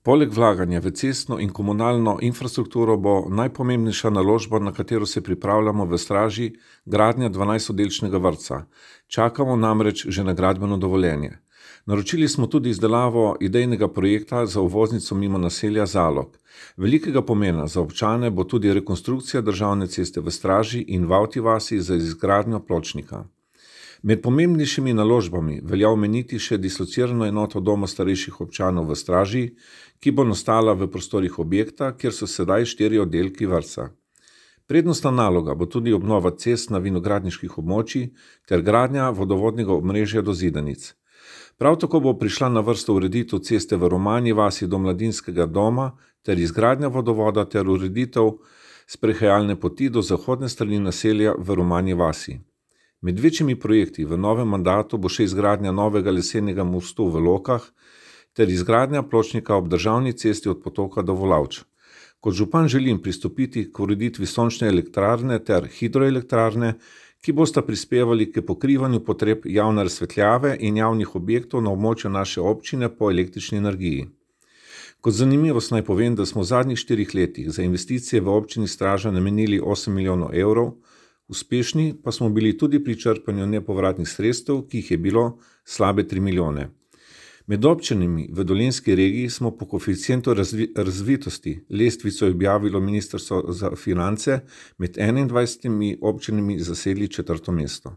Poleg vlaganja v cestno in komunalno infrastrukturo bo najpomembnejša naložba, na katero se pripravljamo v Straži, gradnja 12-oddelčnega vrtca. Čakamo namreč že na gradbeno dovoljenje. Naročili smo tudi izdelavo idejnega projekta za uvoznico mimo naselja Zalog. Velikega pomena za občane bo tudi rekonstrukcija državne ceste v Straži in v Avti vasi za izgradnjo pločnika. Med pomembnejšimi naložbami velja omeniti še dislocirano enoto doma starejših občanov v Straži, ki bo nastala v prostorih objekta, kjer so sedaj 4 oddelki vrtca. Prednostna naloga bo tudi obnova cest na vinogradniških območjih ter gradnja vodovodnega omrežja do Zidanic. Prav tako bo prišla na vrsto ureditev ceste v Romanji vasi do mladinskega doma ter izgradnja vodovoda ter ureditev sprehajalne poti do zahodne strani naselja v Romanji vasi. Med večjimi projekti v novem mandatu bo še izgradnja novega lesenega mostu v Lokah ter izgradnja pločnika ob državni cesti od Potoka do Volavč. Kot župan želim pristopiti k ureditvi sončne elektrarne ter hidroelektrarne, ki bosta prispevali k pokrivanju potreb javne razsvetljave in javnih objektov na območju naše občine po električni energiji. Kot zanimivost naj povem, da smo v zadnjih 4 letih za investicije v občini Straža namenili 8 milijonov evrov, uspešni pa smo bili tudi pri črpanju nepovratnih sredstev, ki jih je bilo slabe 3 milijone. Med občinami v Dolenjski regiji smo po koeficientu razvitosti lestvico objavilo Ministrstvo za finance med 21 občinami zasedli 4. mesto.